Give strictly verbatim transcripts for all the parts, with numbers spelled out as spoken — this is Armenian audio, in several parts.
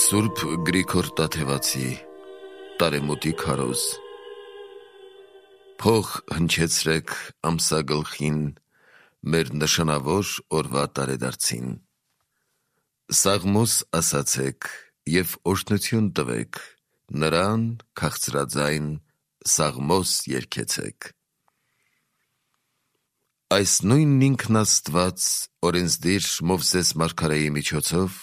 Սուրբ Գրիգոր Տաթևացի Տարեմուտի քարոզ Փող հնչեցրեք ամսագլխին մեր նշանավոր օրվա տարեդարձին Սաղմոս ասացեք և օրհնություն տվեք նրան քաղցրաձայն Սաղմոս երգեցեք Այս նույն ինքն Աստված օրենսդիր Մովսես մարգարեի միջոցով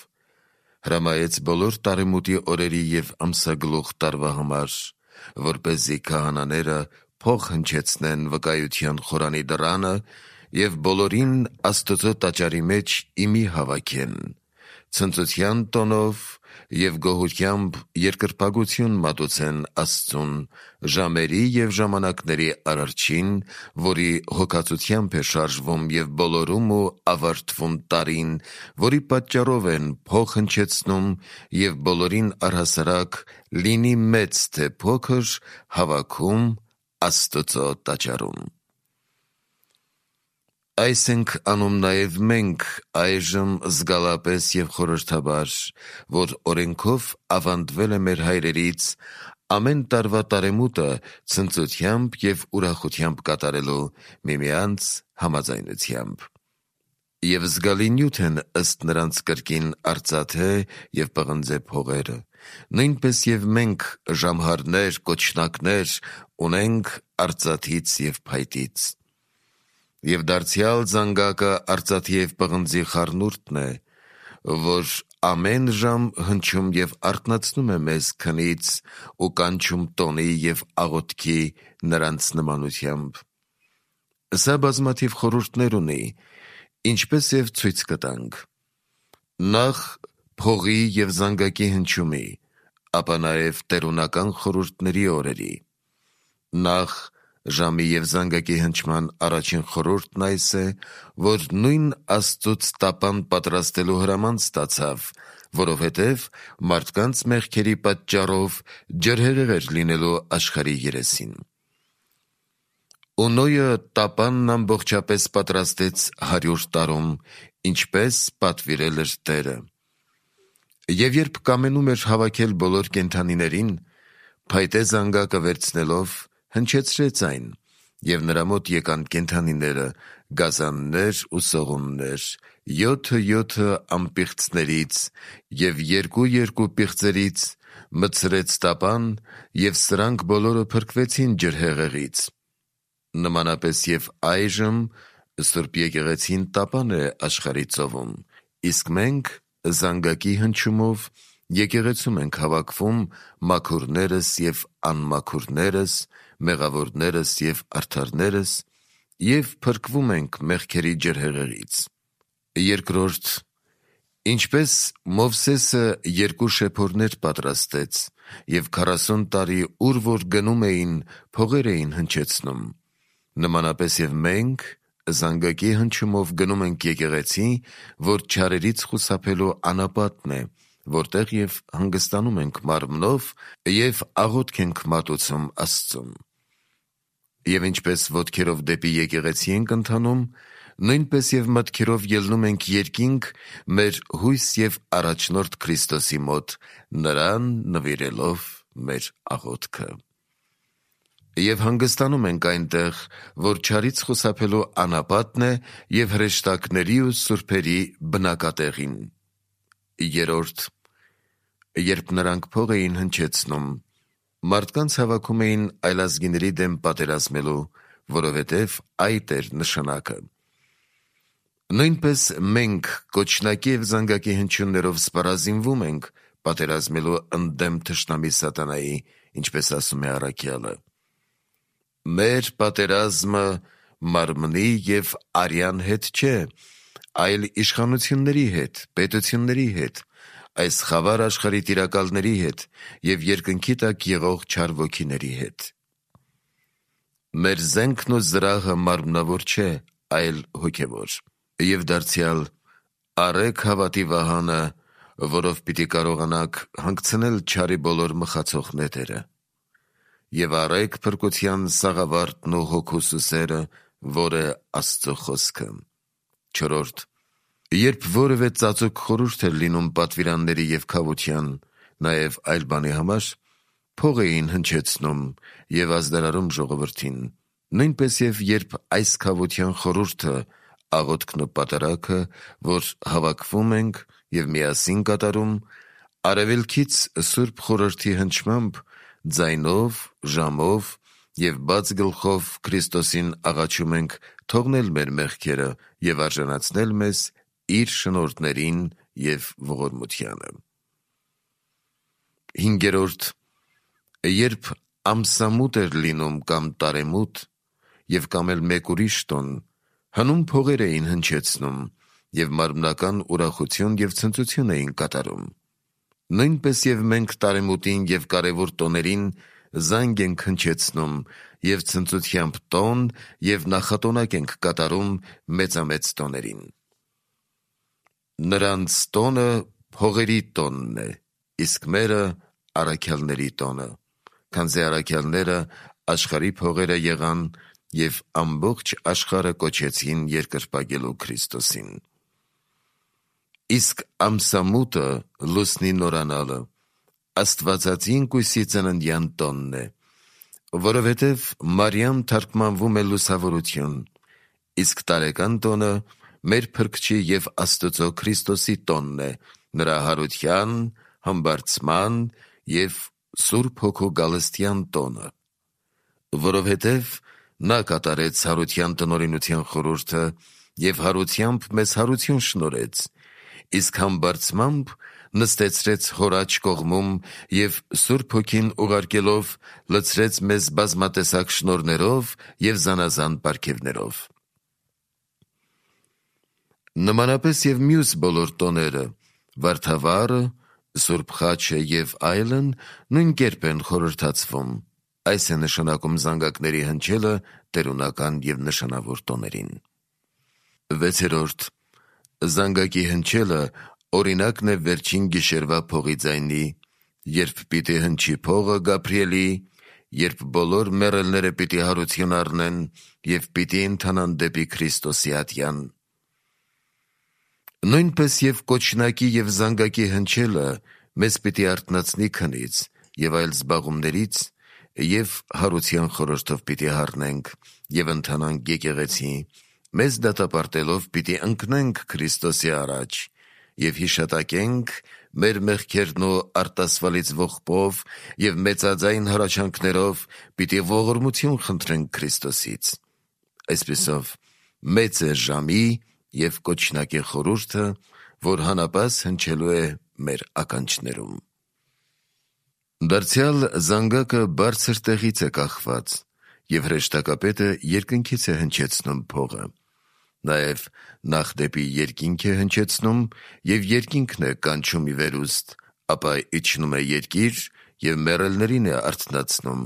հրամայեց բոլոր տարեմուտի օրերի և ամսագլուխ տարվա համար, որպեսզի քահանաները փող հնչեցնեն վկայության խորանի դռանը և բոլորին Աստծո տաճարի մեջ իմի հավաքեն, ցնծության տոնով և գոհությամբ երկրպագություն մատուցեն Աստծուն ժամերի և ժամանակների Արարչին, որի հոգածությամբ է շարժվում և բոլորում ու ավարտվում տարին, որի պատճառով են փող հնչեցնում և բոլորին առհասարակ, լինի մեծ թե փոքր, հավաքում Աստծո տաճարում: Այս ենք անում նաև մենք այժմ զգալապես և խորհրդաբար, որ օրենքով ավանդվել է մեր հայրերից ամեն տարվա տարեմուտը ցնծությամբ և ուրախությամբ կատարելու միմյանց համաձայնությամբ: Եվ զգալի նյութ են ըստ նրանց կրկին արծաթե և պղնձե փողերը, նույնպես և մենք ժամհարներ, կոչնակներ ունենք արծաթից և փայտից: Եվ դարձյալ զանգակը արծաթի և պղնձի խառնուրդն է, որ ամեն ժամ հնչում և արթնացնում է մեզ քնից ու կանչում տոնի և աղոթքի նրանց նմանությամբ: Սա բազմաթիվ խորհուրդներ ունի, ինչպես և ցույց կտանք: Նախ փողի և զանգակի հնչյունի, ապա նաև տերունական խորհուրդների օրերի: Նախ ժամի և զանգակի հնչման առաջին խորհուրդն այս է, որ նույն Աստծուց տապան պատրաստելու հրաման ստացավ, որովհետև մարդկանց մեղքերի պատճառով ջրհեղեղ էր լինելու աշխարհի երեսին: Ու Նոյը տապանն ամբողջապես պատրաստեց հարյուր տարում, ինչպես պատվիրել էր Տերը: Եվ երբ կամենում էր հավաքել բոլոր կենդանիներին, փայտե զանգակը վերցնելով հնչեցրեց այն, և նրա մոտ եկան կենդանիները, գազաններ ու սողուններ, յոթը յոթը անպիղծներից և երկու-երկու պիղծերից, մտցրեց տապան, և սրանք բոլորը փրկվեցին ջրհեղեղից: Նմանապես և այժմ Սուրբ եկեղեցին տապան է աշխարհի ծովում, իսկ մենք զանգակի հնչյունով եկեղեցում ենք հավաքվում մաքուրներս և անմաքուրներս, մեղավորներս և արդարներս և փրկվում ենք մեղքերի ջրհեղեղից: Երկրորդ, ինչպես Մովսեսը երկու շեփորներ պատրաստեց և քառասուն տարի ուր որ գնում էին, փողեր էին հնչեցնում, նմանապես և մենք զանգակի հնչյունով գնում ենք եկեղեցի, որ չարերից խուսափելու անապատն է, որտեղ և հանգստանում ենք մարմնով և աղոթք ենք մատուցում Աստծուն: Եվ ինչպես ոտքերով դեպի եկեղեցի ենք ընթանում, նույնպես և մտքերով ելնում ենք երկինք մեր հույս և առաջնորդ Քրիստոսի մոտ, նրան նվիրելով մեր աղոթքը: Եվ հանգստանում ենք այնտեղ, որ չարից խուսափելու անապատն է և հրեշտակների ու սուրբերի բնակատեղին: Երրորդ, երբ նրանք փող էին հնչեցնում, մարդկանց հավաքում էին այլազգիների դեմ պատերազմելու, որովհետև այդ էր նշանակը: Նույնպես մենք կոչնակի և զանգակի հնչյուններով սպառազինվում ենք պատերազմելու ընդդեմ թշնամի սատանայի, ինչպես ասում է առաքյալը: Մեր պատերազմը մարմնի և արյան հետ չէ, այլ իշխանությունների հետ, պետությունների հետ, այս խավար աշխարհի տիրակալների հետ և երկնքի տակ եղող չար ոգիների հետ: Մեր զենքն ու զրահը մարմնավոր չէ, այլ հոգևոր: Եվ դարձյալ առեք հավատի վահանը, որով պիտի կարողանաք հանգցնել չարի բոլոր մխացող նետերը: Եվ առեք փրկության սաղավարտն ու հոգու սուսերը, որ է Աստծո խոսքը: Չորրորդ, երբ որևէ ծածուկ խորհուրդ էր լինում պատվիրանների և քավության, նաև այլ բանի համար, փող էին հնչեցնում և ազդարարում ժողովրդին, նույնպես և երբ այս քավության խորհուրդը, աղոթքն ու պատարագը, որ հավաքվում ենք և միասին կատարում, արևելքից Սուրբ Խորհրդի հնչմամբ, ձայնով, ժամով և բաց գլխով Քրիստոսին աղաչում ենք թողնել մեր մեղքերը և արժանացնել մեզ իր շնորհներին և ողորմությանը։ Հինգերորդ. Երբ ամսամութ էր լինում կամ տարեմուտ, և կամ էլ մեկ ուրիշ տոն, հնում փողեր էին հնչեցնում և մարմնական ուրախություն և ցնծություն էին կատարում։ Նույնպես և մենք տարեմուտին և կարևոր տոներին զանգ ենք հնչեցնում և ցնծությամբ տոն և նախատոնակ ենք կատարում մեծամեծ տոներին։ Նրանց տոնը փողերի տոնն է, իսկ մերը առաքյալների տոնը, քանզի առաքյալները աշխարհի փողերը եղան և ամբողջ աշխարհը կոչեցին երկրպագելու Քրիստոսին։ Իսկ ամսամութը, լուսնի նորանալը, Աստվածածին կույսի ծննդյան տոնն է, որովհետև Մարիամ թարգմանվում է լուսավորություն, իսկ տարեկան տոնը մեր Փրկչի և Աստծո Քրիստոսի տոնն է, նրա հարության, համբարձման և Սուրբ Հոգու գալստյան տոնը, որովհետև նա կատարեց հարության տնօրինության խորհուրդը և հարությամբ մեզ հարություն շնորհեց, իսկ համբարձմամբ նստեցրեց հոր աջ կողմում և Սուրբ Հոգին ուղարկելով լցրեց մեզ բազմատեսակ շնորհներով և զանազան պարգևներով։ Նմանապես և մյուս բոլոր տոները՝ վարդավառը, Սուրբ խաչը և այլն, նույն կերպ են խորհրդացվում, այս է նշանակում զանգակների հնչելը տերունական և նշանավոր տոներին։ Վեցերորդ. Զանգակի հնչելը օրինակն է վերջին գիշերվա փողի ձայնի, երբ պիտի հնչի փողը Գաբրիելի, երբ բոլոր մեռելները պիտի հարություն առնեն և պիտի ընթանան դեպի Քրիստոսի ատյան։ Նույնպես և կոչնակի և զանգակի հնչելը մեզ պիտի արթնացնի քնից և այլ զբաղումներից և հարության խորհրդով պիտի հառնենք և ընթանանք եկեղեցի, մեզ դատապարտելով պիտի ընկնենք Քրիստոսի առաջ և հիշատակենք մեր մեղքերն ու արտասվալից ողբով և մեծաձայն հառաչանքներով պիտի ողորմություն խնդրենք Քրիստոսից։ Այսպիսով մեծ է ժամի և կոչնակի խորհուրդը, որ հանապաս հնչելու է մեր ականջներում։ Դարձյալ զանգակը բարձր տեղից է կախված, և հրեշտակապետը երկնքից է հնչեցնում փողը, նաև նախ դեպի երկինք է հնչեցնում և երկինքն է կանչում ի վերուստ, ապա իջնում է երկիր և մեռելներին է արթնացնում,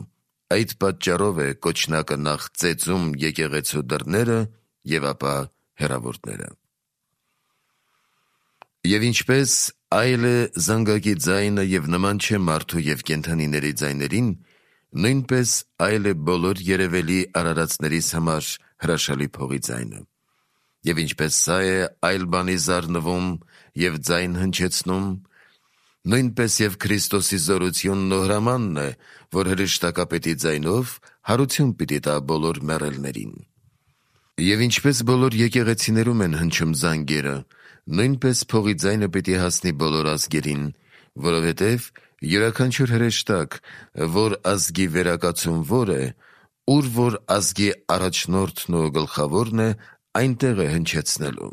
այդ պատճառով է կոչնակը նախ ծեծում եկեղեցու դռները և ապա հեռավորները։ Եվ ինչպես այլ է զանգակի ձայնը և նման չէ մարդու և կենդանիների ձայներին, նույնպես այլ է բոլոր երևելի արարածներիս համար հրաշալի փողի ձայնը։ Եվ ինչպես սա է այլ բանի զարնվում և ձայն հնչեցնում, նույնպես և Քրիստոսի զորությունն ու հրամանն է, որ հրեշտակապետի ձայնով հարություն պիտի տա բոլոր մեռելներին։ Եվ ինչպես բոլոր եկեղեցիներում են հնչում զանգերը, նույնպես փողի ձայնը պիտի հասնի բոլոր ազգերին, որովհետև յուրաքանչյուր հրեշտակ, որ ազգի վերակացուն որ է, ուր որ ազգի առաջնորդն ու գլխավորն է, այնտեղ է հնչեցնելու։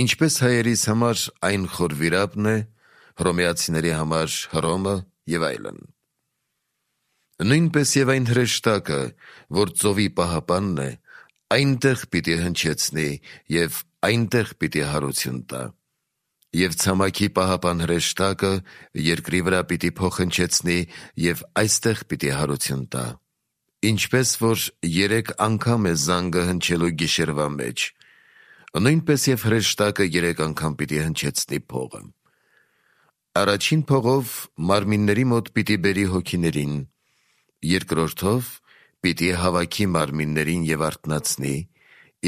Ինչպես հայերիս համար այն խորվիրապն է, հռոմեացիների համար Հռոմը և այլն։ Նույնպես և այն հրեշտակը, որ ծովի պահապանն է, այնտեղ պիտի հնչեցնի և այնտեղ պիտի հարություն տա։ Եվ ցամաքի պահապան հրեշտակը երկրի վրա պիտի փող հնչեցնի և այստեղ պիտի հարություն տա։ Ինչպես որ երեք անգամ է զանգը հնչելու գիշերվա մեջ, նույնպես և հրեշտակը երեք անգամ պիտի հնչեցնի փողը։ Առաջին փողով մարմինների մոտ պիտի բերի հոգիներին, երկրորդով պիտի հավաքի մարմիններին և արթնացնի,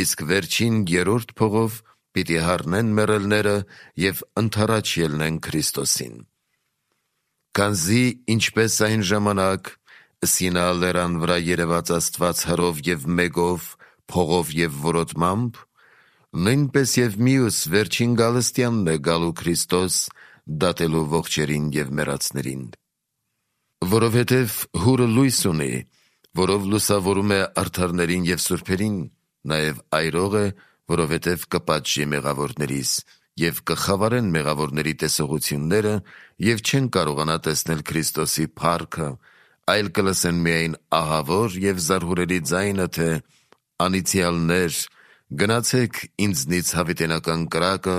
իսկ վերջին երրորդ փողով պիտի հառնեն մեռելները և ընդառաջ ելնեն Քրիստոսին։ Քանզի ինչպես այն ժամանակ Սինա լեռան վրա երևաց Աստված հրով և մեգով, փողով և որոտմամբ, նույնպես և մյուս վերջին գալստյանն է գալու Քրիստոս, դատելու ողջերին և մեռածներին։ Որովհետև հուրը լույս ունի, որով լուսավորում է արդարներին և սուրբերին, նաև այրող է, որովհետև կպատժի մեղավորներիս, և կխավարեն մեղավորների տեսողությունները, և չեն կարողանա տեսնել Քրիստոսի փառքը, այլ կլսեն միայն ահավոր և զարհուրելի ձայնը, թե «Անիծյալներ, գնացեք ինձնից հավիտենական կրակը,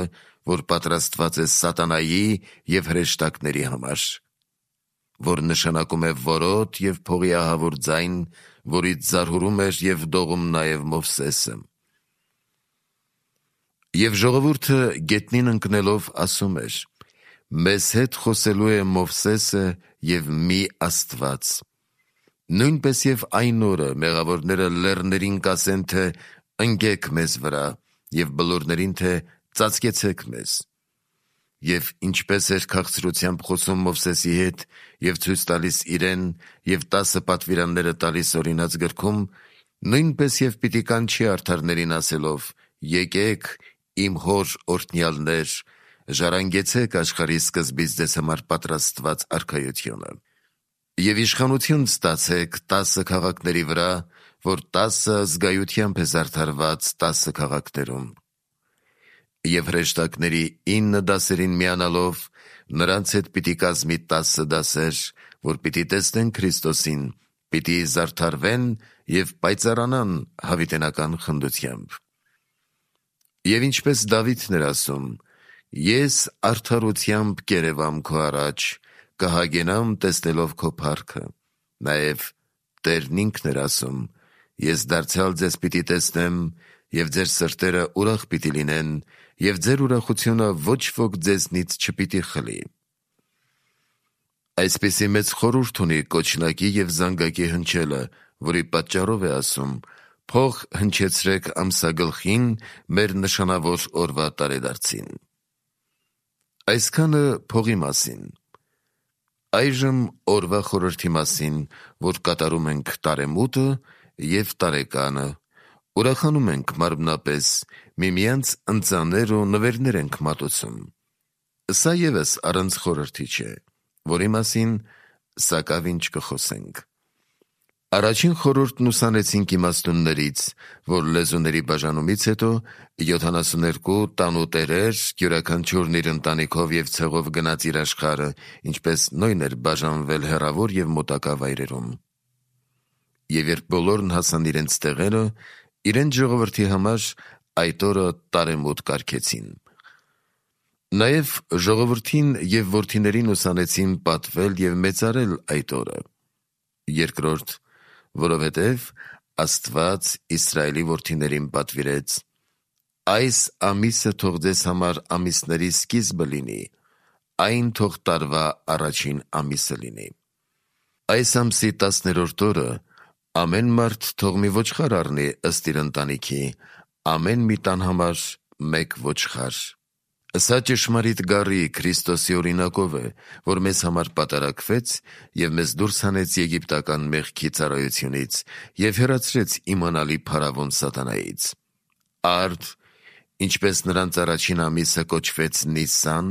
որ պատրաստված է սատանայի և հրեշտակների համար», որ նշանակում է որոտ և փողի ահավոր ձայն, որից զարհուրում էր և դողում նաև Մովսեսը։ Եվ ժողովուրդը գետնին ընկնելով ասում էր. «Մեզ հետ խոսելու է Մովսեսը և մի Աստված»։ Նույնպես և այն օրը մեղավորները լեռներին կասեն, թե «Ընկեք մեզ վրա», և բլուրներին, թե «Ծածկեցեք մեզ»։ Եվ ինչպես էր քաղցրությամբ խոսում Մովսեսի հետ և ցույց տալիս իրեն և տասը պատվիրանները տալիս օրինաց գրքում, նույնպես և պիտի կանչի արդարներին ասելով. «Եկեք, իմ հոր օրհնյալներ, ժառանգեցեք աշխարհի սկզբից ձեզ համար պատրաստված արքայությունը։ Եվ իշխանություն ստացեք տասը քաղաքների վրա, որ տասը զգայությամբ է զարդարված տասը քաղաքներում։ Եվ հրեշտակների ինը դասերին միանալով, նրանց հետ պիտի կազմի տասը դասեր, որ պիտի տեսնեն Քրիստոսին, պիտի զարդարվեն և պայծառանան հավիտենական խնդությամբ։ Եվ ինչպես Դավիթն էր ասում. «Ես արդարությամբ կերևամ քո առաջ, կհագենամ տեսնելով քո փառքը», նաև Տերն ինքն էր ասում. «Ես դարձյալ ձեզ պիտի տեսնեմ, և ձեր սրտերը ուրախ պիտի լինեն, և ձեր ուրախությունը ոչ ոք ձեզնից չպիտի խլի»։ Այսպիսի մեծ խորհուրդ ունի կոչնակի և զանգակի հնչելը, որի պատճառով է ասում. «Փող հնչեցրեք ամսագլխին մեր նշանավոր օրվա տարեդարձին»։ Այսքանը փողի մասին։ Այժմ օրվա խորհրդի մասին, որ կատարում ենք տարեմուտը և տարեկանը, ուրախանում ենք մարմնապես, միմյանց ընծաներ ու նվերներ ենք մատուցում։ Սա ևս առանց խորհրդի չէ, որի մասին սակավինչ կխոսենք։ Առաջին խորհուրդն ուսանեցինք իմաստուններից, որ լեզուների բաժանումից հետո յոթանասուններկու տանուտերեր, յուրաքանչյուրն իր ընտանիքով և ցեղով գնաց իր աշխարհը, ինչպես նույն էր բաժանվել հեռավոր և մոտակա վայրերում։ Եվ երբ բոլորն հասան իրենց տեղերը, իրենց ժողովրդի համար այդ օրը տարեմուտ կարգեցին։ Նաև ժողովրդին և որդիներին ուսանեցին պատվել և մեծարել այդ օրը։ Երկրորդ, որովհետև Աստված Իսրայելի որդիներին պատվիրեց. «Այս ամիսը թող ձեզ համար ամիսների սկիզբը լինի, այն թող տարվա առաջին ամիսը լինի»։ Այս ամսի տասներորդ օրը ամեն մարդ թող մի ոչխար առնի ըստ իր ընտանիքի, ամեն մի տան համար մեկ ոչխար։ Սա ճշմարիտ գառի Քրիստոսի օրինակով է, որ մեզ համար պատարակվեց և մեզ դուրս հանեց եգիպտական մեղքի ծառայությունից և հեռացրեց իմանալի փարավոն սատանայից։ Արդ, ինչպես նրանց առաջին ամիսը կոչվեց Նիսան,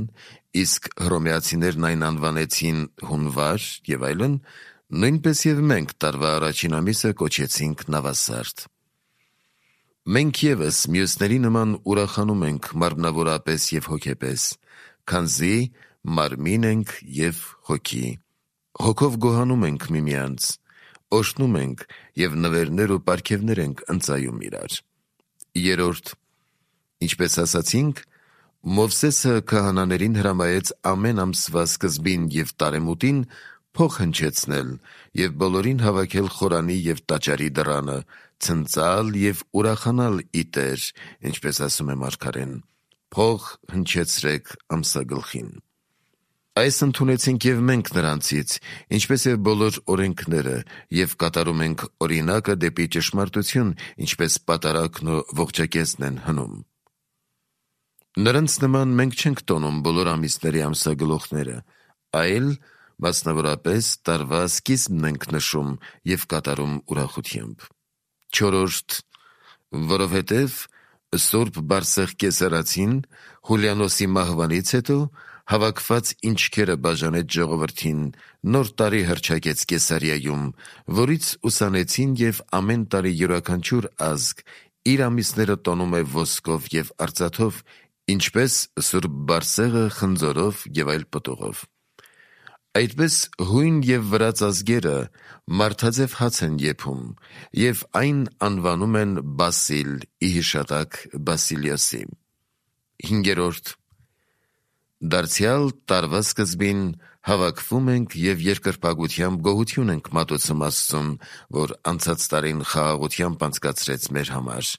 իսկ հռոմեացիներն այն անվանեցին հունվար և այլն, նույնպես և մենք տարվա առաջին ամիսը կոչեցինք նավասարդ։ Մենք ևս մյուսների նման ուրախանում ենք մարմնավորապես և հոգեպես, քանզի մարմին ենք և հոգի։ Հոգով գոհանում ենք միմյանց, օրհնում ենք և նվերներ ու պարգևներ ենք ընծայում իրար։ Երորդ, ինչպես ասացինք, Մովսեսը քահանաներին հրամայեց ամեն ամսվա սկզբին և տարեմուտին փող հնչեցնել և բոլորին հավաքել խորանի և տաճարի դռանը, ցնծալ և ուրախանալ ի Տեր, ինչպես ասում է մարգարեն. «Փող հնչեցրեք ամսագլխին»։ Այս ընդունեցինք և մենք նրանցից, ինչպես և բոլոր օրենքները, և կատարում ենք օրինակը դեպի ճշմարտություն, ինչպես պատարագն ու ողջակեզն են հնում։ Նրանց նման մենք չենք տոնում բոլոր ամիսների ամսագլուխները, այլ մասնավորապես տարվա սկիզբն ենք նշում և կատարում ուրախությամբ։ Չորրորդ, որովհետև Սուրբ Բարսեղ կեսարածին Հուլիանոսի մահվանից հետո հավաքված ինչքերը բաժանեց ժողովրդին, նոր տարի հռչակեց Կեսարիայում, որից ուսանեցին և ամեն տարի յուրաքանչյուր ազգ իր ամիսները տոնում է ոսկով և արծաթով, ինչպես Սուրբ Բարսեղը խնձորով և այլ պտուղով։ Այդպես հույն և վրաց ազգերը մարդաձև հաց են եփում և այն անվանում են Բասիլ ի հիշատակ Բասիլիոսի։ Հինգերորդ, դարձյալ տարվա սկզբին հավաքվում ենք և երկրպագությամբ գոհություն ենք մատուցում Աստծուն, որ անցած տարին խաղաղությամբ անցկացրեց մեր համար,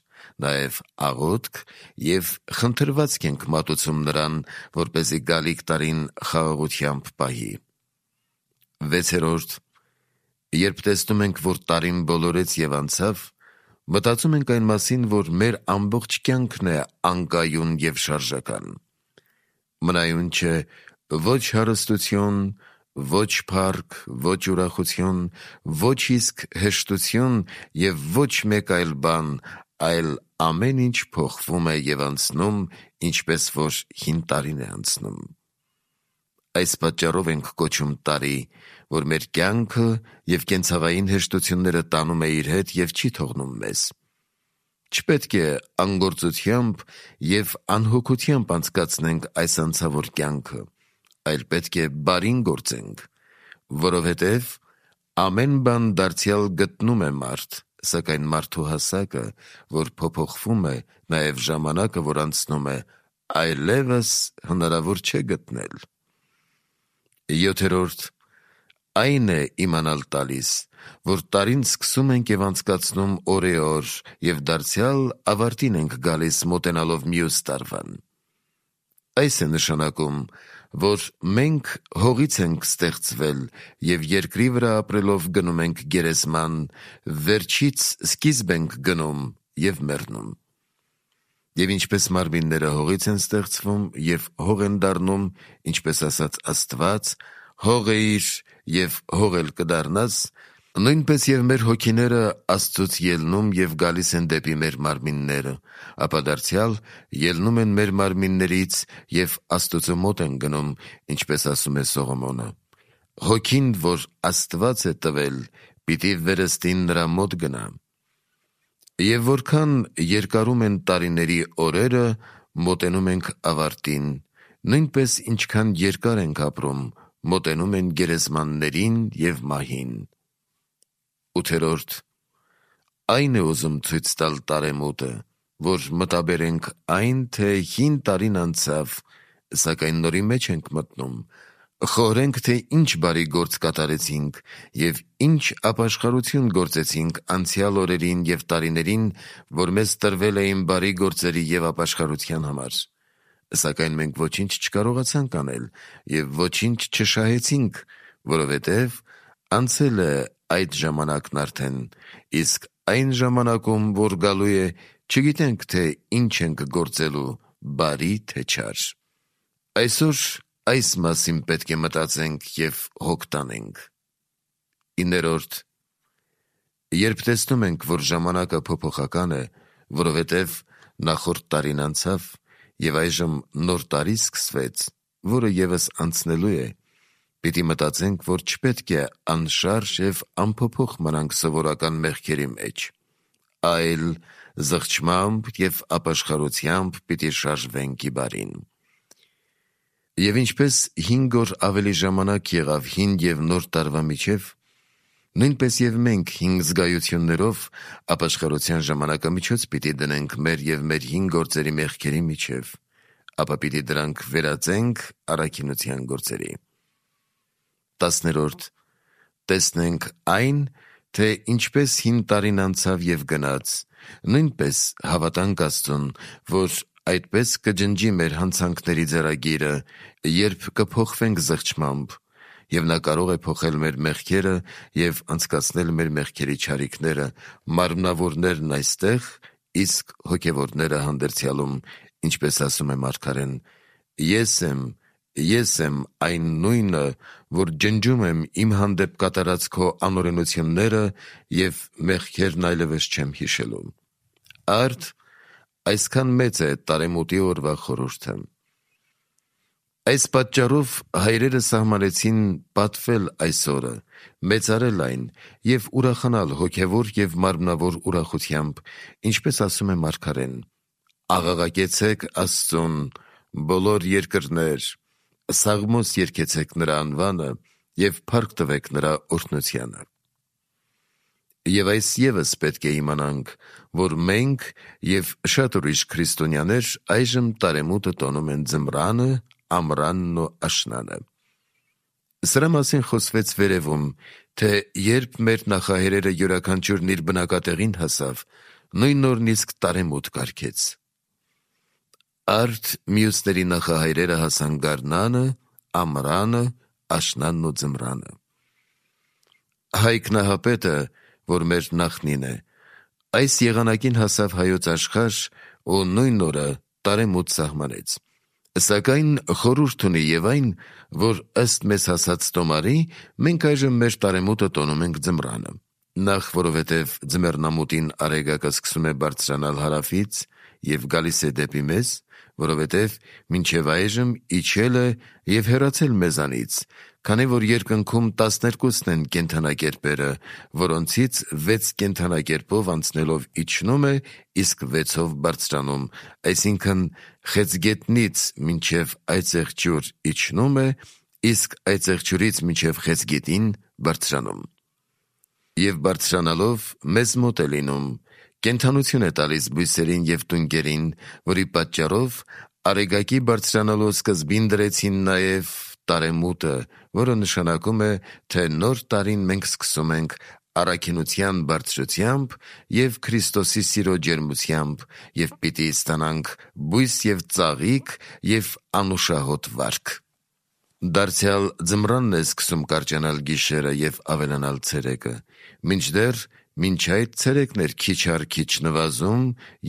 նաև աղոթք և խնդրվածք ենք մատուցում նրան, որպեսզի գալիք տարին խաղաղությամբ պահի։ Վեցերորդ, երբ տեսնում ենք, որ տարին բոլորեց և անցավ, մտածում ենք այն մասին, որ մեր ամբողջ կյանքն է անկայուն և շարժական։ Մնայուն չէ ոչ հարստություն, ոչ փառք, ոչ ուրախություն, ոչ իսկ հեշտություն և ոչ մեկ այլ բան, այլ ամեն ինչ փոխվում է և անցնում, ինչպես որ հին տարին է անցնում։ Այս պատճառով ենք կոչում տարի, որ մեր կյանքը և կենցաղային հեշտությունները տանում է իր հետ և չի թողնում մեզ։ Չպետք է անգործությամբ և անհոգությամբ անցկացնենք այս անցավոր կյանքը, այլ պետք է բարին գործենք, որովհետև ամեն բան դարձյալ գտնում է մարդ, սակայն մարդու հասակը, որ փոփոխվում է, նաև ժամանակը, որ անցնում է, այլևս հնարավոր չէ գտնել։ Յոթերորդ, այն է իմանալ տալիս, որ տարին սկսում ենք և անցկացնում օրեօր և դարձյալ ավարտին ենք գալիս մոտենալով մյուս տարվան։ Այս է նշանակում, որ մենք հողից ենք ստեղծվել և երկրի վրա ապրելով գնում ենք գերեզման, վերջից սկիզբ ենք գնում և մեռնում։ Եվ ինչպես մարմինները հողից են ստեղծվում և հող են դառնում, ինչպես ասաց Աստված. «Հող էիր և հող էլ կդառնաս», նույնպես և մեր հոգիները Աստծուց ելնում և գալիս են դեպի մեր մարմինները, ապա դարձյալ ելնում են մեր մարմիններից և Աստծու մոտ են գնում, ինչպես ասում է Սողոմոնը. «Հոգին, որ Աստված է տվել, պիտի վերստին նրա մոտ գնա»։ Եվ որքան երկարում են տարիների օրերը, մոտենում ենք ավարտին, նույնպես ինչքան երկար ենք ապրում, մոտենում են գերեզմաններին և մահին։ Ութերորդ, այն է ուզում ցույց տալ տարեմուտը, որ մտաբերենք այն, թե հին տարին անցավ, սակայն նորի մեջ ենք մտնում, խորհենք, թե ինչ բարի գործ կատարեցինք և ինչ ապաշխարություն գործեցինք անցյալ օրերին և տարիներին, որ մեզ տրվել էին բարի գործերի և ապաշխարության համար։ Սակայն մենք ոչինչ չկարողացանք անել և ոչինչ չշահեցինք, որովհետև անցել է այդ ժամանակն արդեն, իսկ այն ժամանակում, որ գալու է, չգիտենք, թե ինչ ենք գործելու, բարի թե չար։ Այսօր այս մասին պետք է մտածենք և հոգ տանենք։ Իններորդ, երբ տեսնում ենք, որ ժամանակը փոփոխական է, որովհետև նախորդ տարին անցավ և այժմ նոր տարի սկսվեց, որը ևս անցնելու է, պիտի մտածենք, որ չպետք է անշարժ և անփոփոխ մնանք սովորական մեղքերի մեջ, այլ զղջմամբ և ապաշխարությամբ պիտի շարժվենք ի բարին։ Եվ ինչպես հինգ օր ավելի ժամանակ եղավ հին և նոր տարվա միջև, նույնպես և մենք հին զգայություններով ապաշխարության ժամանակամիջոց պիտի դնենք մեր և մեր հին գործերի մեղքերի միջև, ապա պիտի դրանք վերածենք առաքինության գործերի։ Տասներորդ, տեսնենք այն, թե ինչպես հին տարին անցավ և գնաց, նույնպես հավատանք Աստծուն, որ այդպես կջնջի մեր հանցանքների ձեռագիրը, երբ կփոխվենք զղջմամբ, և նա կարող է փոխել մեր մեղքերը և անցկացնել մեր մեղքերի չարիքները, մարմնավորներն այստեղ, իսկ հոգևորները հանդերձյալում, ինչպես ասում է մարգարեն. «Ես եմ Ես եմ այն նույնը, որ ջնջում եմ իմ հանդեպ կատարած քո անօրենությունները և մեղքերն այլևս չեմ հիշելու։ Արդ այսքան մեծ է տարեմուտի օրվա խորհուրդը։ Այս պատճառով հայրերը սահմանեցին պատվել այս օրը, մեծարել այն և ուրախանալ հոգևոր և մարմնավոր ուրախությամբ, ինչպես ասում է մարգարեն. «Աղաղակեցեք Աստծուն, բոլոր երկրներ, սաղմոս երգեցեք նրա անվանը և փառք տվեք նրա օրհնությանը»։ Եվ այս ևս պետք է իմանանք, որ մենք և շատ ուրիշ քրիստոնյաներ այժմ տարեմուտը տոնում են ձմռանը, ամռանն ու աշնանը։ Սրա մասին խոսվեց վերևում, թե երբ մեր նախահայրերը յուրաքանչյուրն իր բնակատեղին հասավ, նույն օրն իսկ տարեմուտ կարգեց։ Արդ մյուսների նախահայրերը հասան գարնանը, ամռանը, աշնանն ու ձմռանը։ Հայկ Նահապետը, որ մեր նախնին է, այս եղանակին հասավ հայոց աշխարհ ու նույն օրը տարեմուտ սահմանեց։ Սակայն խորհուրդ ունի և այն, որ ըստ մեզ հասած տոմարի, մենք այժմ մեր տարեմուտը տոնում ենք ձմռանը։ Նախ, որովհետև ձմեռնամուտին արեգակը սկսում է բարձրանալ հարավից և գալիս է դեպի մեզ, որովհետև մինչև այժմ իջել է և հեռացել մեզանից, քանի որ երկնքում տասներկուսն են կենդանակերպերը, որոնցից վեց կենդանակերպով անցնելով իջնում է, իսկ վեցով բարձրանում, այսինքն Խեցգետնից մինչև Այծեղջյուր իջնում է, իսկ Այծեղջյուրից մինչև Խեցգետին բարձրանում։ Եվ բարձրանալով մեզ մոտ է լինում, կենդանություն է տալիս բույսերին և տունկերին, որի պատճառով արեգակի բարձրանալու սկզբին դրեցին նաև տարեմուտը, որը նշանակում է, թե նոր տարին մենք սկսում ենք առաքինության բարձրությամբ և Քրիստոսի սիրո ջերմությամբ և պիտի ստանանք բույս և ծաղիկ և անուշահոտ վարք։ Դարձյալ ձմռանն է սկսում կարճանալ գիշերը և ավելանալ ցերեկը, մինչդեռ մինչ այդ ցերեկն էր քիչ առ քիչ նվազում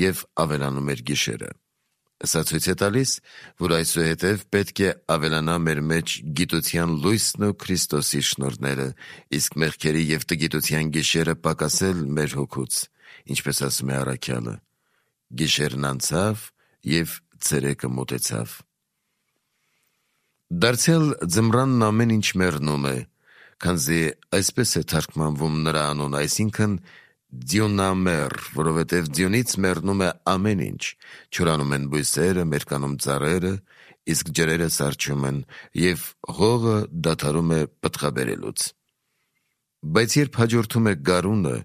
և ավելանում էր գիշերը։ Սա ցույց է տալիս, որ այսուհետև պետք է ավելանա մեր մեջ գիտության լույսն ու Քրիստոսի շնորհները, իսկ մեղքերի և տգիտության գիշերը պակասել մեր հոգուց, ինչպես ասում է առաքյալը. «Գիշերն անցավ և ցերեկը մոտեցավ»։ Դարձյալ ձմռանն ամեն ինչ մեռնում է, քանզի այսպես է թարգմանվում նրա անունը, այսինքն ձյունամեռ, որովհետև ձյունից մեռնում է ամեն ինչ, չորանում են բույսերը, մերկանում ծառերը, իսկ ջրերը սառչում են, և հողը դադարում է պտղաբերելուց։ Բայց երբ հաջորդում է գարունը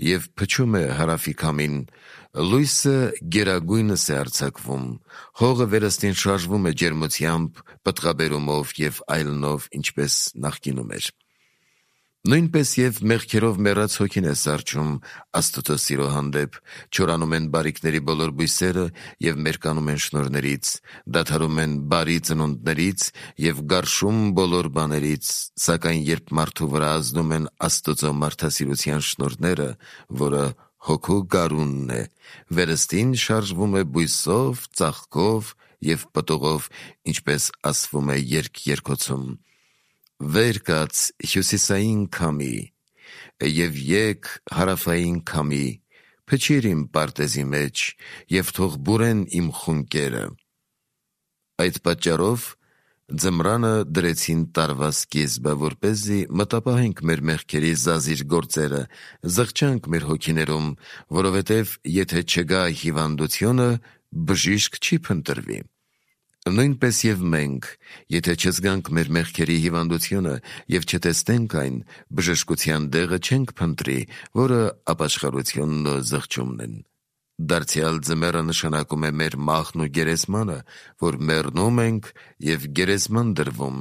և փչում է հարավի քամին, լույսը գերագույնս է արձակվում, հողը վերստին շարժվում է ջերմությամբ, պտղաբերումով և այլնով, ինչպես նախկինում էր։ Նույնպես և մեղքերով մեռած հոգին է սառչում Աստծո սիրո հանդեպ, չորանում են բարիքների բոլոր բույսերը և մերկանում են շնորհներից, դադարում են բարի ծնունդներից և գարշում բոլոր բաներից, սակայն երբ մարդու վրա ազդում են Աստծո մարդասիրության շնորհները, որը հոգու գարունն է, վերստին շարժվում է բույսով, ծաղկով և պտուղով, ինչպես ասվում է երգ երգոցում. «Վեր կաց հյուսիսային քամի, և եկ հարավային քամի, փչիր իմ պարտեզի մեջ, և թող բուրեն իմ խունկերը»։ Այդ պատճառով ձմռանը դրեցին տարվա սկիզբը, որպեսզի մտապահենք մեր մեղքերի զազիր գործերը, զղջանք մեր հոգիներում, որովհետև եթե չգա հիվանդությունը, բժիշկ չի փնտրվի։ Նույնպես և մենք, եթե չզգանք մեր մեղքերի հիվանդությունը և չտեսնենք այն, բժշկության դեղը չենք փնտրի, որը ապաշխարությունն ու զղջումն են։ Դարձյալ ձմեռը նշանակում է մեր մահն ու գերեզմանը, որ մեռնում ենք և գերեզման դրվում,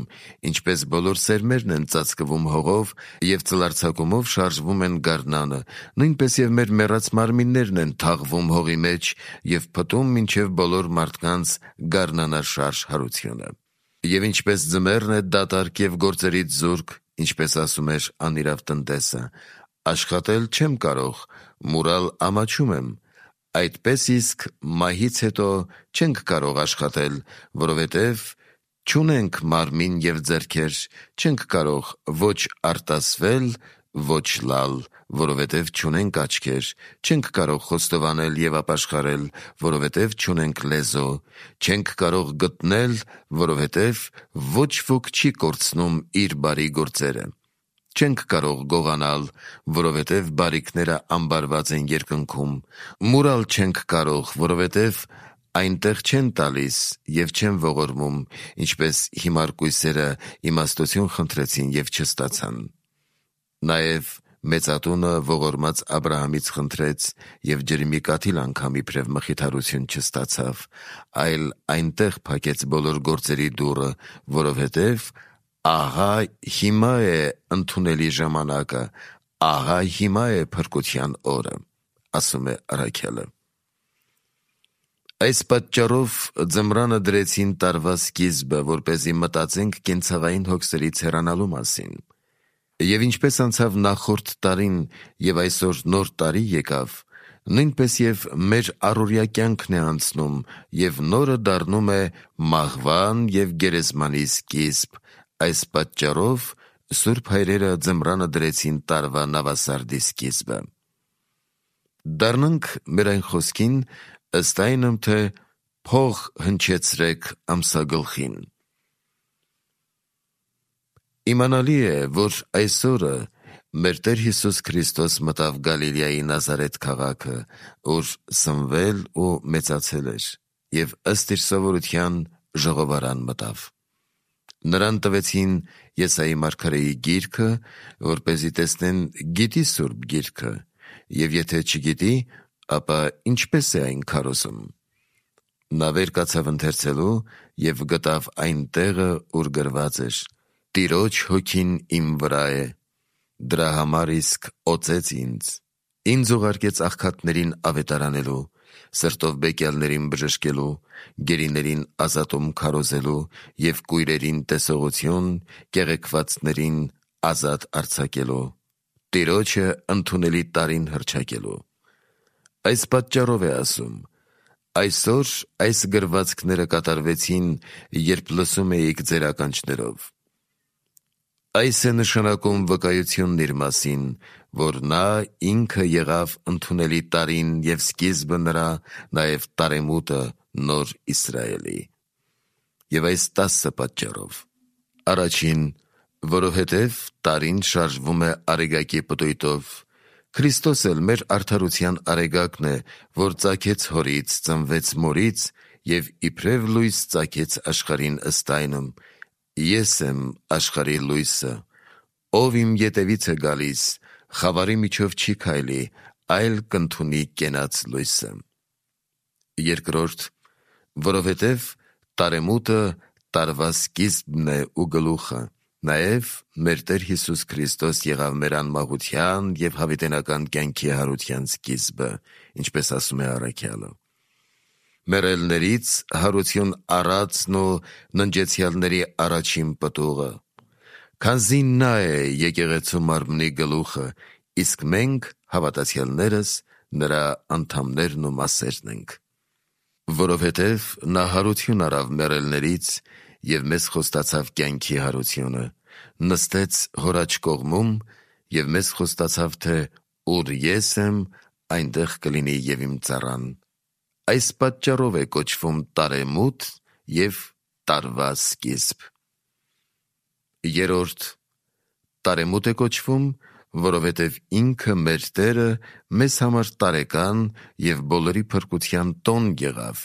ինչպես բոլոր սերմերն են ծածկվում հողով և ծլարձակումով շարժվում են գարնանը, նույնպես և մեր մեռած մարմիններն են թաղվում հողի մեջ և փտում մինչև բոլոր մարդկանց գարնանաշարժ հարությունը։ Եվ ինչպես ձմեռն է դատարկ և գործերից զուրկ, ինչպես ասում էր անիրավ տնտեսը, աշխատել չեմ կարող, մուրալ ամաչում եմ, այդպես իսկ մահից հետո չենք կարող աշխատել, որովհետև չունենք մարմին և ձեռքեր, չենք կարող ոչ արտասվել, ոչ լալ, որովհետև չունենք աչքեր, չենք կարող խոստովանել և ապաշխարել, որովհետև չունենք լեզու, չենք կարող գտնել, որովհետև ոչ ոք չի կորցնում իր բարի գործերը, չենք կարող գողանալ, որովհետև բարիքները ամբարված են երկնքում, մուրալ չենք կարող, որովհետև այնտեղ չեն տալիս և չեն ողորմում, ինչպես հիմար կույսերը իմաստություն խնդրեցին և չստացան։ Նաև մեծատունը ողորմած Աբրահամից խնդրեց և ջրիմի կաթիլ անգամ իբրև մխիթարություն չստացավ, այլ այնտեղ փակեց բոլոր գործերի դուռը, որովհետև ահա հիմա է ընդունելի ժամանակը, ահա հիմա է փրկության օրը, ասում է առաքյալը։ Այս պատճառով ձմռանը դրեցին տարվա սկիզբը, որպեսզի մտածենք կենցաղային հոգսերից հեռանալու մասին։ Եվ ինչպես անցավ նախորդ տարին և այսօր նոր տարի եկավ, նույնպես և մեր առօրյա կյանքն է անցնում և նորը դառնում է մահվան և գերեզմանի սկիզբ, այս պատճառով սուրբ հայրերը ձմռանը դրեցին տարվա նավասարդի սկիզբը։ Դառնանք մեր այն խոսքին, ըստ այնմ, թե փող հնչեցրեք ամսագլխին։ Իմանալի է, որ այս օրը մեր Տեր Հիսուս Քրիստոս մտավ Գալիլեայի Նազարեթ քաղաքը, ուր սնվել ու մեծացել էր, և ըստ իր սովորության ժողովարան մտավ։ Նրան տվեցին Եսայի մարգարեի գիրքը, որպեսզի տեսնեն գիտի սուրբ գիրքը, և եթե չգիտի, ապա ինչպես է այն քարոզում։ Նա վեր կացավ ընթերցելու և գտավ այն տեղը, ուր գրված էր. «Տիրոջ հոգին իմ վրա է, դրա համար իսկ օծեց ինձ, ինձ ուղարկեց աղքատներին ավետարանելու, սրտով բեկյալներին բժշկելու, գերիներին ազատում քարոզելու և կույրերին տեսողություն, կեղեքվածներին ազատ արձակելու, Տիրոջը ընդունելի տարին հռչակելու»։ Այս պատճառով է ասում. այսօր այս գրվածքները կատարվեցին, երբ լսում էիք ձեր ականջներով։ Այս է նշանակում վկայությունն իր մասին, որ նա ինքը եղավ ընդունելի տարին և սկիզբը նրա, նաև տարեմուտը նոր Իսրայելի։ Եվ այս տասը պատճառով. Առաջին, որովհետև տարին շարժվում է արեգակի պտույտով, Քրիստոս էլ մեր արդարության արեգակն է, որ ծագեց հորից, ծնվեց մորից և իբրև լույս ծագեց աշխարհին ըստ այնմ. ես եմ աշխարհի լույսը, ով իմ ետևից է գալիս, խավարի միջով չի քայլի, այլ կընդունի կենաց լույսը։ Երկրորդ, որովհետև տարեմուտը տարվա սկիզբն է ու գլուխը, նաև մեր Տեր Հիսուս Քրիստոս եղավ մեր անմահության և հավիտենական կյանքի հարության սկիզբը, ինչպես ասում է առաքյալը։ Մեռելներից հարություն առածն ու ննջեցյալների առաջին պտուղը, քանզի նա է եկեղեցու մարմնի գլուխը, իսկ մենք հավատացյալներս նրա անդամներն ու մասերն ենք։ Որովհետև նա հարություն առավ մեռելներից և մեզ խոստացավ կյանքի հարությունը, նստեց հոր աջ կողմում և մեզ խոստացավ, թե ուր ես եմ, այնտեղ կլինի և իմ ծառան։ Այս պատճառով է կոչվում տարեմուտ և տարվա սկիզբ։ Երրորդ, տարեմուտ է կոչվում, որովհետև ինքը մեր Տերը մեզ համար տարեկան և բոլորի փրկության տոն եղավ,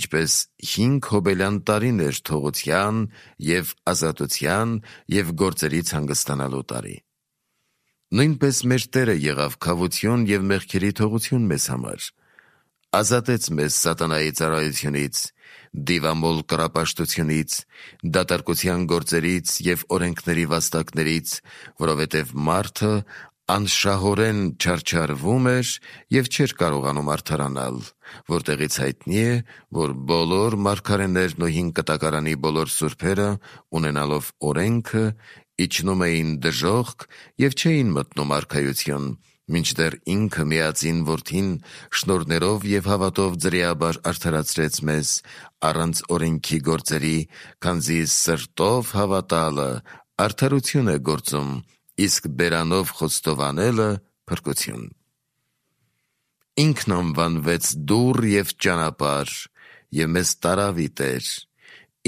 ինչպես հինգ հոբելյան տարին էր թողության և ազատության և գործերից հանգստանալու տարի։ Նույնպես մեր Տերը եղավ քավություն և մեղքերի թողություն մեզ համար, ազատեց մեզ սատանայի ծառայությունից, դիվամոլ կռապաշտությունից, դատարկության գործերից և օրենքների վաստակներից, որովհետև մարդը անշահորեն չարչարվում էր և չէր կարողանում արդարանալ, որտեղից հայտնի է, որ բոլոր մարգարեներն ու հին կտակարանի բոլոր սուրբերը, ունենալով օրենքը, իջնում էին դժոխք և չէին մտնում արքայություն, մինչդեռ ինքը միածին որդին շնորհներով և հավատով ձրիաբար արդարացրեց մեզ առանց օրենքի գործերի, քանզի սրտով հավատալը արդարություն է գործում, իսկ բերանով խոստովանելը փրկություն։ Ինքն անվանվեց դուռ և ճանապարհ և մեզ տարավ ի Տեր։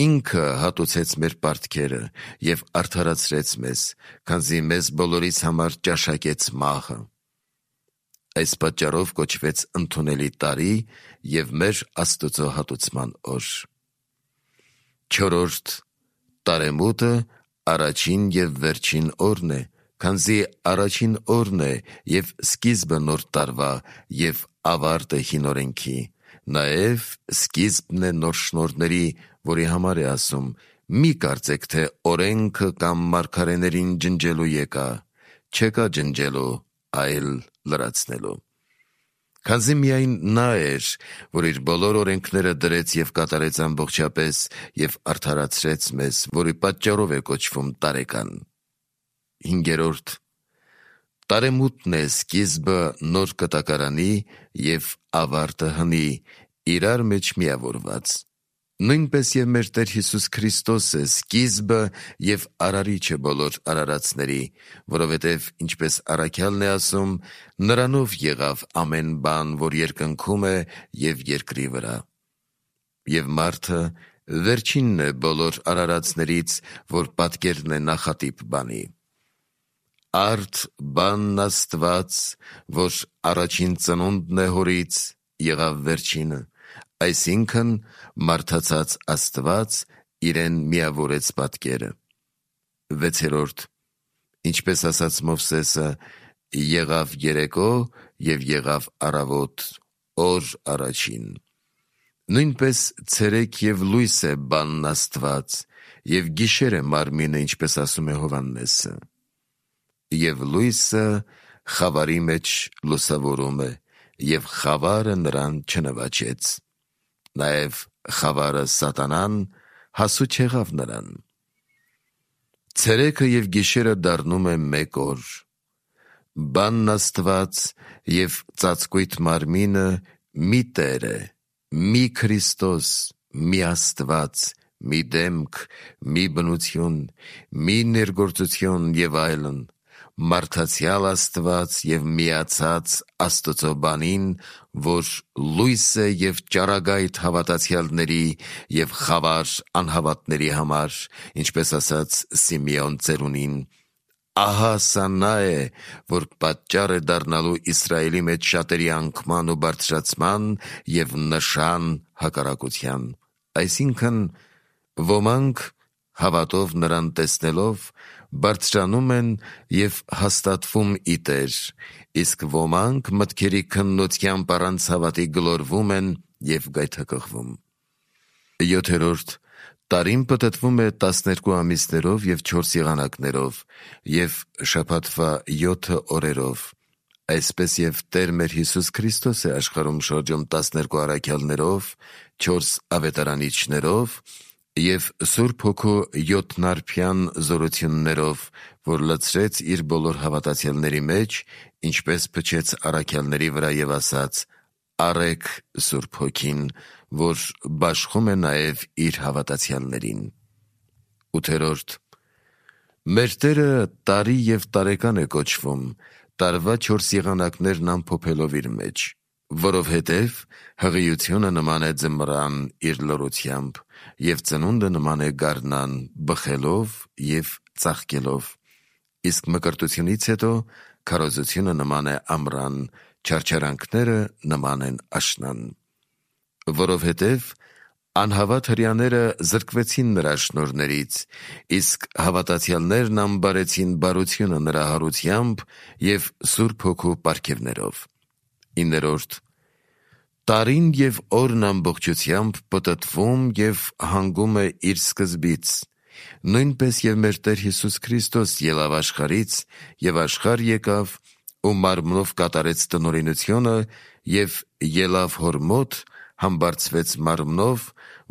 Ինքը հատուցեց մեր պարտքերը և արդարացրեց մեզ, քանզի մեզ բոլորիս համար ճաշակեց մահը։ Այս պատճառով կոչվեց ընդունելի տարի և մեր Աստծո հատուցման օր։ Չորրորդ տարեմուտը առաջին և վերջին օրն է, քանզի առաջին օրն է և սկիզբը նոր տարվա և ավարտը հին օրենքի, նաև սկիզբն է նոր շնորհների, որի համար է ասում. «Մի կարծեք, թե օրենքը կամ մարգարեներին ջնջելու եկա, չեկա ջնջելու, այլ լրացնելու»։ Քանզի միայն նա էր, որ իր բոլոր օրենքները դրեց և կատարեց ամբողջապես և արդարացրեց մեզ, որի պատճառով է կոչվում տարեկան։ Հինգերորդ տարեմուտն է սկիզբը նոր կտակարանի և ավարտը հնի, իրար մեջ միավորված։ Նույնպես և մեր Տեր Հիսուս Քրիստոսը սկիզբը և արարիչը բոլոր արարածների, որովհետև, ինչպես առաքյալն է ասում. «Նրանով եղավ ամեն բան, որ երկնքում է և երկրի վրա»։ Եվ մարդը վերջինն է բոլոր արարածներից, որ պատկերն է նախատիպ բանի։ Արդ բանն Աստված, որ առաջին ծնունդն է հորից, եղավ վերջինը, այսինքն մարդացած Աստված իրեն միավորեց պատկերը։ Վեցերորդ ինչպես ասաց Մովսեսը. «Եղավ երեկո և եղավ առավոտ, օր առաջին»։ Նույնպես ցերեկ և լույս է բանն Աստված, և գիշեր է մարմինը, ինչպես ասում է Հովհաննեսը։ Եվ լույսը խավարի մեջ լուսավորում է, և խավարը նրան չնվաճեց։ Նաև խավարը սատանան հասու չեղավ նրան։ Ցերեկը և գիշերը դառնում է մեկ օր։ Բանն Աստված և ծածկույթ մարմինը մի Տեր է, մի Քրիստոս, մի Աստված, մի դեմք, մի բնություն, մի ներգործություն և այլն, մարդացյալ Աստված և միացած Աստծո բանին, որ լույս է և ճառագայթ հավատացյալների և խավար անհավատների համար, ինչպես ասաց Սիմեոն ծերունին. «Ահա սա նա է, որ պատճառ է դառնալու Իսրայելի մեջ շատերի անկման ու բարձրացման և նշան հակառակության»։ Այսինքն, ոմանք հավատով նրան տեսնելով բարձրանում են և հաստատվում ի Տեր, իսկ ոմանք մտքերի քննությամբ առանց հավատի գլորվում են և գայթակղվում։ Յոթերորդ տարին պտտվում է տասներկու ամիսներով և չորս եղանակներով և շաբաթվա յոթ օրերով, այսպես և Տեր մեր Հիսուս Քրիստոս է աշխարհում շրջում տասներկու առաքյալներով, չորս ավետարանիչներով և Սուրբ Հոգու յոթնարբյան զորություններով, որ լցրեց իր բոլոր հավատացյալների մեջ, ինչպես փչեց առաքյալների վրա և ասաց. «Առեք Սուրբ Հոգին, որ բաշխում է նաև իր հավատացյալներին»։ Ութերորդ մեր Տերը տարի և տարեկան է կոչվում, տարվա չորս եղանակներն ամփոփելով իր մեջ, որովհետև հղիությունը նման է ձմռան իր լռությամբ, և ծնունդը նման է գարնան բխելով և ծաղկելով, իսկ մկրտությունից հետո քարոզությունը նման է ամռան, չարչարանքները նման են աշնան։ Որովհետև անհավատ հրեաները զրկվեցին նրա շնորհներից, իսկ հավատացյալներն ամբարեցին բարությունը նրա հարությամբ և Սուրբ Հոգու պարգևներով։ Իններորդ տարին և օրն ամբողջությամբ պտտվում և հանգում է իր սկզբից, նույնպես և մեր Տեր Հիսուս Քրիստոս ելավ աշխարհից և աշխարհ եկավ ու մարմնով կատարեց տնօրինությունը և ելավ հոր մոտ, համբարձվեց մարմնով,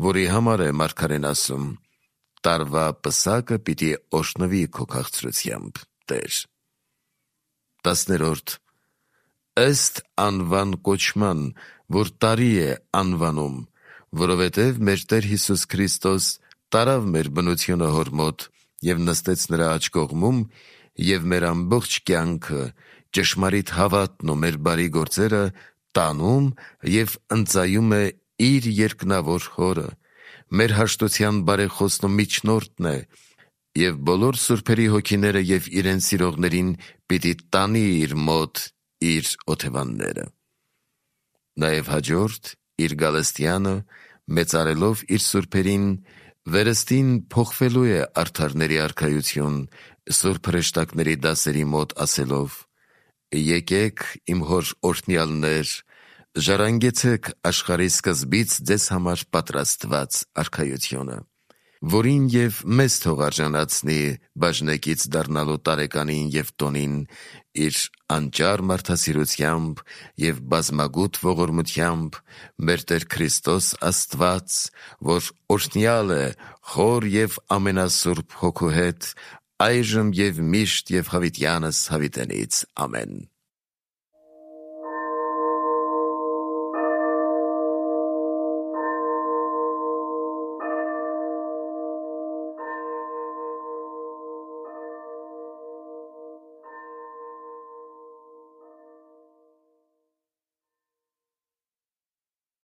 որի համար է մարգարեն ասում. «Տարվա պսակը պիտի օրհնվի քո քաղցրությամբ, Տեր»։ Տասներորդ ըստ անվան կոչման, որ տարի է անվանում, որովհետև մեր Տեր Հիսուս Քրիստոս տարավ մեր բնությունը հոր մոտ և նստեց նրա աջ կողմում, և մեր ամբողջ կյանքը, ճշմարիտ հավատն ու մեր բարի գործերը տանում և ընծայում է իր երկնավոր Հորը, մեր հաշտության բարեխոսն ու միջնորդն է, և բոլոր սուրբերի հոգիները և իրեն սիրողներին պիտի տանի իր մոտ իր օթևանները։ Նաև հաջորդ իր գալստյանը, մեծարելով իր սուրբերին, վերստին փոխվելու է արդարների արքայություն, սուրբ հրեշտակների դասերի մոտ ասելով. «Եկեք, իմ հոր օրհնյալներ, ժառանգեցեք աշխարհի սկզբից ձեզ համար պատրաստված արքայությունը, որին և մեզ թող արժանացնի բաժնեկից դառնալու տարեկանին և տոնին իր անճար մարդասիրությամբ և բազմագութ ողորմությամբ մեր Տեր Քրիստոս Աստված, որ օրհնյալ է խոր և ամենասուրբ Հոգու հետ, այժմ և միշտ և հավիտյանս հավիտենից։ Ամեն»։